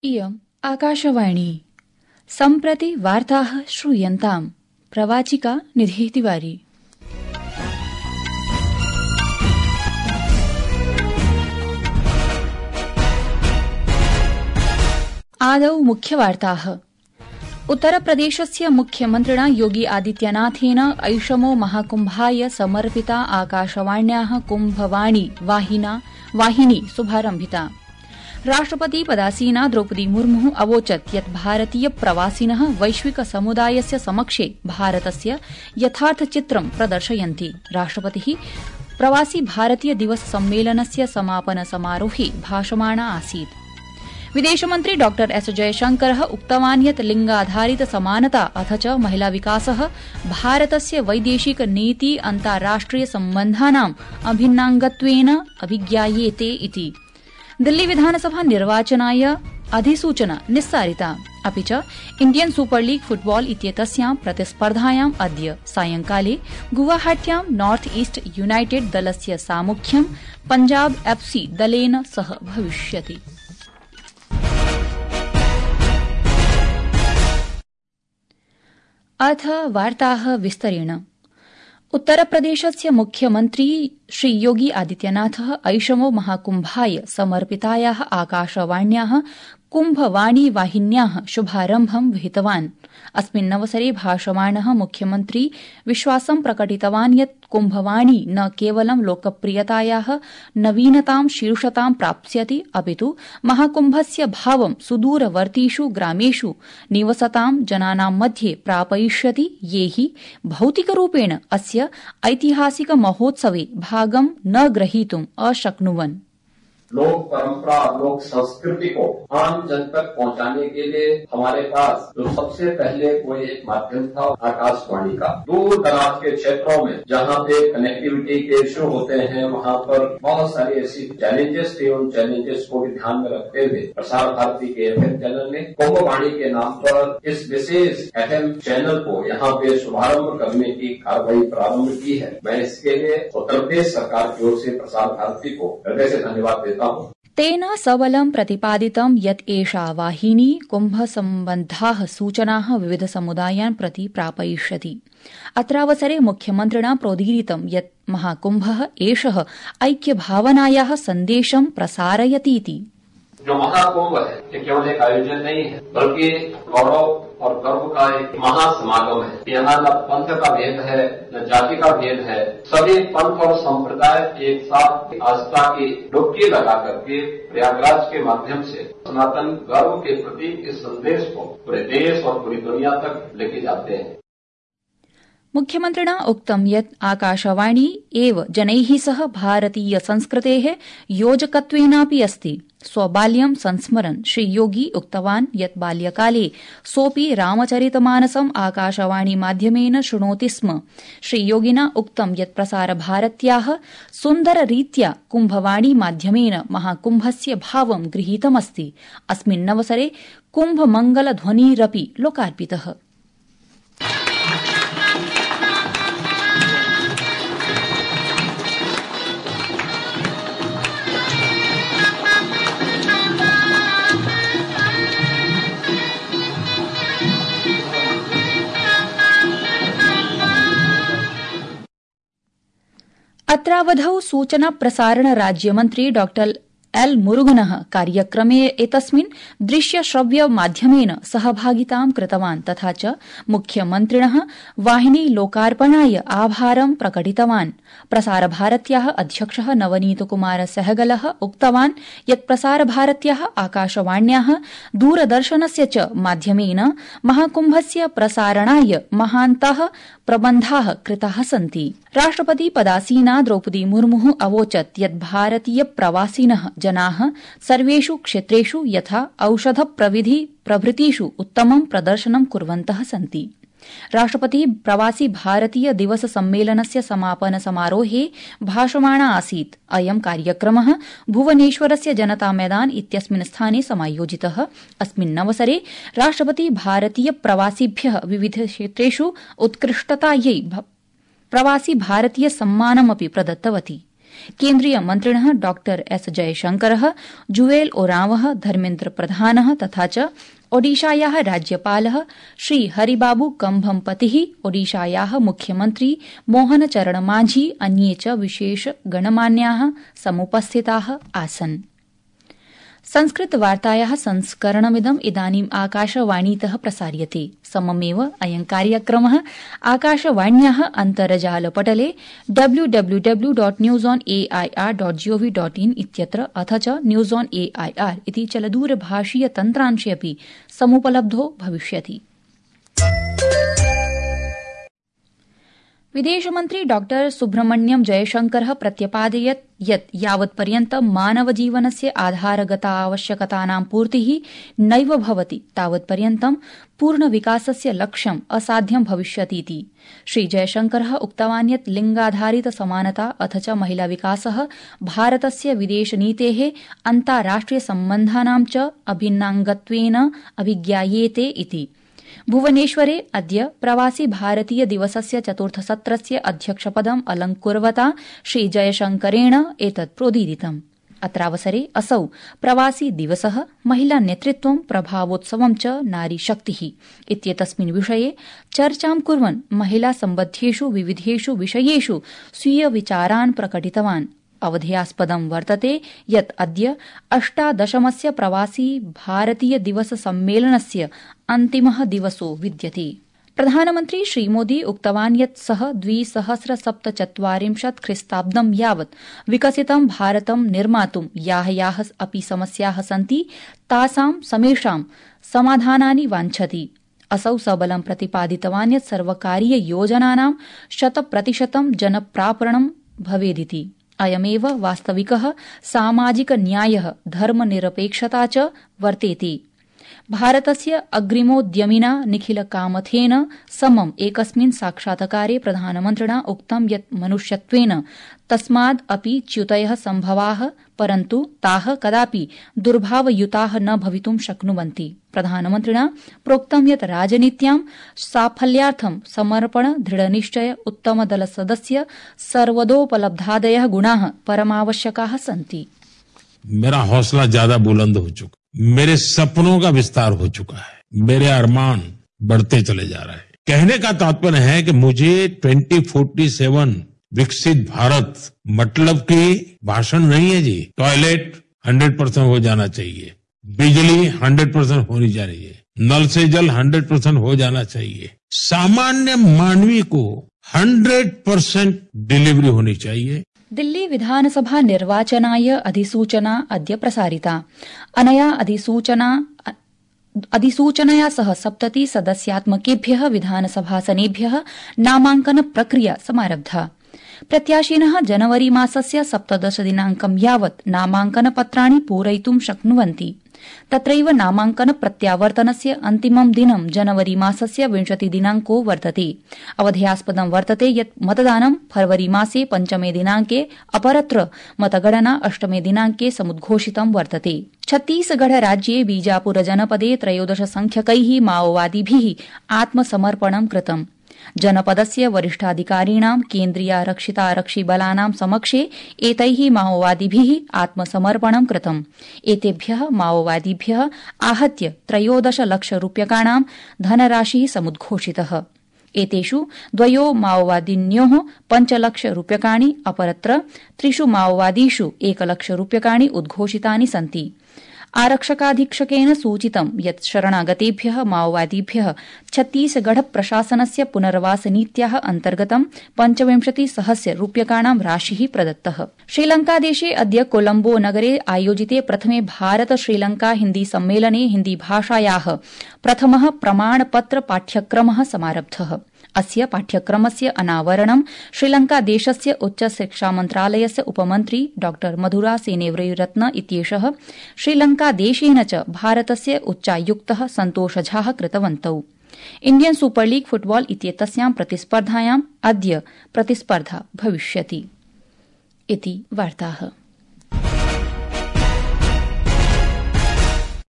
इयम् आकाशवाणी सम्प्रति वार्ताः श्रूयन्ताम्। प्रवाचिका निधिः तिवारी। आदौ मुख्यवार्ताः। उत्तरप्रदेशस्य मुख्यमन्त्रिणा योगी आदित्यनाथेन ऐषमो महाकुम्भाय समर्पिता आकाशवाण्याः कुम्भवाणी वाहिनी शुभारम्भिता। राष्ट्रपति पदासीना द्रौपदी मुर्मु अवोचत् यत् भारतीय प्रवासिनः वैश्विक समुदायस्य समक्षे भारतस्य यथार्थचित्रं प्रदर्शयन्ति। राष्ट्रपतिः प्रवासी भारतीय दिवस सम्मेलनस्य समापन समारोहे भाषमाणा आसीत्। विदेशमन्त्री डॉ एस जयशंकरः उक्तवान् यत् लिंगाधारित समानता अथ च महिला विकासः भारतस्य वैदेशिक नीति अन्ताराष्ट्रिय सम्बन्धानाम् अभिन्नाङ्गत्वेन अभिज्ञायेते इति। दिल्ली विधानसभा निर्वाचनाय अधिसूचना निस्सारिता। अपि च इण्डियन सुपर लीग फुटबॉल इत्येतस्यां प्रतिस्पर्धायाम् अद्य सायंकाले गुवाहाट्यां नॉर्थ ईस्ट यूनाइटेड दलस्य सामुख्यं पंजाब एफसी दलेन सह भविष्यति। अथ वार्ताः विस्तरेण। उत्तरप्रदेशस्य मुख्यमन्त्री श्री योगी आदित्यनाथः ऐषमो महाकुम्भाय समर्पितायाः आकाशवाण्याः कुम्भवाणी वाहिन्याः शुभारम्भं विहितवान्। अस्मिन्नवसरे भाषमाणः मुख्यमन्त्री विश्वासं प्रकटितवान् यत् कुम्भवाणी न केवलं लोकप्रियतायाः नवीनतां शीर्षतां प्राप्स्यति अपितु महाकुम्भस्य भावं सुदूरवर्तीषु ग्रामेषु निवसतां जनानां मध्ये प्रापयिष्यति ये हि भौतिकरूपेण अस्य ऐतिहासिक महोत्सवे भागं न ग्रहीतुम् अशक्नुवन्। लोक परंपरा लोक संस्कृति को आम जन तक पहुंचाने के लिए हमारे पास जो सबसे पहले कोई एक माध्यम था आकाशवाणी का। दूर दराज के क्षेत्रों में जहाँ पे कनेक्टिविटी के इश्यू होते हैं वहाँ पर बहुत सारी ऐसी चैलेंजेस थे। उन चैलेंजेस को भी ध्यान में रखते हुए प्रसार भारती के एफएम चैनल ने कुंभवाणी के नाम पर इस विशेष एफएम चैनल को यहाँ पे शुभारंभ करने की कार्रवाई प्रारंभ की है। मैं इसके लिए उत्तर प्रदेश सरकार की ओर से प्रसार भारती को हृदय से धन्यवाद देता। तेन सबलं प्रतिपादितं यत् एषा वाहिनी कुम्भसम्बद्धाः सूचनाः विविध समुदायान् प्रति प्रापयिष्यति। अत्रावसरे मुख्यमन्त्रिणा प्रोदीरितं यत् महाकुम्भः एषः ऐक्यभावनायाः सन्देशं प्रसारयतीति। जो महाकुंभ है ये केवल एक आयोजन नहीं है बल्कि गौरव और गर्व का एक महासमागम है। यहाँ न पंथ का भेद है न जाति का भेद है। सभी पंथ और संप्रदाय एक साथ आस्था की डुबकी लगा करके प्रयागराज के माध्यम से सनातन गर्व के प्रति इस संदेश को पूरे देश और पूरी दुनिया तक लेके जाते हैं। मुख्यमन्त्रिणा उक्तं यत् आकाशवाणी एव जनैः सह भारतीय संस्कृतेः योजकत्वेनापि अस्ति। स्वबाल्यं संस्मरन् श्री योगी उक्तवान् यत् बाल्यकाले सोऽपि रामचरितमानसम् आकाशवाणी माध्यमेन शृणोति स्म। श्री योगिना उक्तं यत् प्रसारभारत्याः सुन्दररीत्या कुम्भवाणी माध्यमेन महाकुम्भस्य भावं गृहीतमस्ति। अस्मिन्नवसरे कुम्भमङ्गलध्वनिरपि लोकार्पितः। अत्रावधौ सूचना प्रसारण राज्यमन्त्री डॉ एल मुरुगनः कार्यक्रमे एतस्मिन् दृश्य श्रव्य माध्यमेन सहभागितां कृतवान् तथा च मुख्यमन्त्रिणः वाहिनी लोकार्पणाय आभारं प्रकटितवान्। प्रसारभारत्याः अध्यक्षः नवनीत कुमार सहगलः उक्तवान् यत् प्रसारभारत्याः आकाशवाण्याः दूरदर्शनस्य च माध्यमेन महाकुम्भस्य प्रसारणाय महान्तः प्रबन्धाः कृताः सन्ति। राष्ट्रपति पदासीना द्रौपदी मुर्मु अवोचत् यत् भारतीय प्रवासिनः जनाः सर्वेषु क्षेत्रेषु यथा औषध प्रविधि प्रभृतिषु उत्तमं प्रदर्शनं कुर्वन्तः सन्ति। राष्ट्रपतिः प्रवासी भारतीय दिवस सम्मेलनस्य समापन समारोहे भाषमाणा आसीत्। अयं कार्यक्रमः भुवनेश्वरस्य जनता मैदान इत्यस्मिन् स्थाने समायोजितः। अस्मिन्नवसरे राष्ट्रपतिः भारतीय प्रवासिभ्यः विविध क्षेत्रेषु उत्कृष्टतायै प्रवासी भारतीय सम्मानमपि प्रदत्तवती। केन्द्रीय मन्त्रिणः डॉ एस जयशंकरः, जुवेल ओरावः, धर्मेन्द्र प्रधानः तथा च ओडिशायाः राज्यपालः श्री हरिबाबू कंभमपतिः, ओडिशायाः मुख्यमन्त्री मोहन चरण मांझी अन्ये च विशेष गणमान्याः समुपस्थिताः आसन्। संस्कृतवार्तायाः संस्करणमिदम् इदानीम् आकाशवाणीतः प्रसार्यते। सममेव अयं कार्यक्रमः आकाशवाण्याः अन्तर्जालपटले www.newsonair.gov.in इत्यत्र अथ च न्यूज ऑन एआईआर इति चलदूरभाषीय तन्त्रांशे अपि समुपलब्धो भविष्यति। विदेशमन्त्री डॉ सुब्रह्मण्यम जयशंकरः प्रत्यपादयत् यत् यावत्पर्यन्तं मानवजीवनस्य आधारगतावश्यकतानां पूर्तिः नैव भवति तावत्पर्यन्तं पूर्णविकासस्य लक्ष्यम् असाध्यं भविष्यतीति। श्री जयशंकरः उक्तवान् यत् लिंगाधारित समानता अथ च महिलाविकासः भारतस्य विदेशनीतेः अन्ताराष्ट्रिय सम्बन्धानां च अभिन्नाङ्गत्वेन अभिज्ञायेते इति। भुवनेश्वरे अद्य प्रवासी भारतीय दिवसस्य चतुर्थसत्रस्य अध्यक्षपदम् अलंकुर्वता श्री जयशंकरेण एतत् प्रोदीरितम्। अत्रावसरे असौ प्रवासी दिवसः, महिला नेतृत्वं, प्रभावोत्सवं च नारीशक्तिः इत्येतस्मिन् विषये चर्चां कुर्वन् महिला सम्बद्धेषु विविधेषु विषयेषु स्वीय विचारान् प्रकटितवान्। अवधेयास्पदं वर्तते यत् अद्य 18मस्य प्रवासी भारतीय दिवस सम्मेलनस्य अन्तिमः दिवसो विद्यते। प्रधानमन्त्री श्रीमोदी उक्तवान् यत् सः 2047 ख्रीस्ताब्दं यावत् विकसितं भारतं निर्मातुं याः अपि समस्याः सन्ति तासां समेषां समाधानानि वाञ्छति। असौ सबलं प्रतिपादितवान् यत् सर्वकारीय योजनानां 100% जनप्रापणं भवेदिति। अयमेव वास्तविकः सामाजिक न्यायः, धर्मनिरपेक्षता च वर्तेते। भारतस्य अग्रिमोद्यमिना निखिल कामथेन समम् एकस्मिन् साक्षात्कारे प्रधानमन्त्रिणा उक्तं यत् मनुष्यत्वेन तस्माद् अपि च्युतयः सम्भवाः, परन्तु ताः कदापि दुर्भावयुताः न भवितुं शक्नुवन्ति। प्रधानमन्त्रिणा प्रोक्तं यत् राजनीत्यां साफल्यार्थं समर्पण, दृढनिश्चय, उत्तमदलसदस्य सर्वदोपलब्धादयः गुणाः परमावश्यकाः सन्ति। मेरा हौसला ज्यादा बुलंद हो चुका, मेरे सपनों का विस्तार हो चुका है, मेरे अरमान बढ़ते चले जा रहे हैं। कहने का तात्पर्य है कि मुझे 2047 विकसित भारत मतलब की भाषण नहीं है जी। टॉयलेट 100% हो जाना चाहिए, बिजली 100% होनी चाहिए, नल से जल 100% हो जाना चाहिए, सामान्य मानवी को 100% डिलीवरी होनी चाहिए। दिल्ली विधानसभा निर्वाचनाय अधिसूचना अद्य प्रसारिता। अनया अधिसूचनया सह 70 सदस्यात्मकेभ्यः विधानसभासनेभ्यः नामांकन प्रक्रिया समारब्धा। प्रत्याशिनः जनवरी मासस्य 17 दिनांकं यावत् नामांकन पत्राणि पूरयितुं शक्नुवन्ति। तत्रैव नामांकन प्रत्यावर्तनस्य अन्तिमं दिनं जनवरी मासस्य 20 दिनांको वर्तते। अवधेयास्पदं वर्तते यत् मतदानं फरवरी मासे 5 दिनांके, अपरत्र मतगणना 8 दिनांके समुद्घोषितं वर्तते। छत्तीसगढ़ राज्ये बीजापुर जनपदे 13 संख्यकैः माओवादिभिः आत्मसमर्पणं कृतम्। जनपदस्य वरिष्ठाधिकारिणां केन्द्रीयारक्षितारक्षिबलानां समक्षे एतैः माओवादिभिः आत्मसमर्पणं कृतम्। एतेभ्यः माओवादिभ्यः आहत्य 13 लक्षरूप्यकाणां धनराशिः समुद्घोषितः। एतेषु 2 माओवादिन्योः 5 लक्षरूप्यकाणि, अपरत्र 3 माओवादीषु 1 लक्षरूप्यकाणि उद्घोषितानि सन्ति। आरक्षकाधीक्षकेन सूचितं यत् शरणागतेभ्यः माओवादिभ्यः छत्तीसगढ़ प्रशासनस्य पुनर्वास नीत्याः अन्तर्गतं 25,000 रूप्यकाणां राशिः प्रदत्तः। श्रीलंकादेशे अद्य कोलम्बो नगरे आयोजिते प्रथमे भारत श्रीलंका हिन्दी सम्मेलने हिन्दीभाषायाः प्रथमः प्रमाणपत्र पाठ्यक्रमः समारब्धः। अस्य पाठ्यक्रमस्य अनावरणं श्रीलंकादेशस्य उच्चशिक्षामन्त्रालयस्य उपमन्त्री डॉ मधुरा सेनेव्रयुरत्न इत्येषः श्रीलंकादेशेन च भारतस्य उच्चायुक्तः सन्तोष झा कृतवन्तौ। इण्डियन सुपर लीग फुटबॉल इत्येतस्यां प्रतिस्पर्धायाम् अद्य प्रतिस्पर्धा भविष्यति। इति वार्ताः।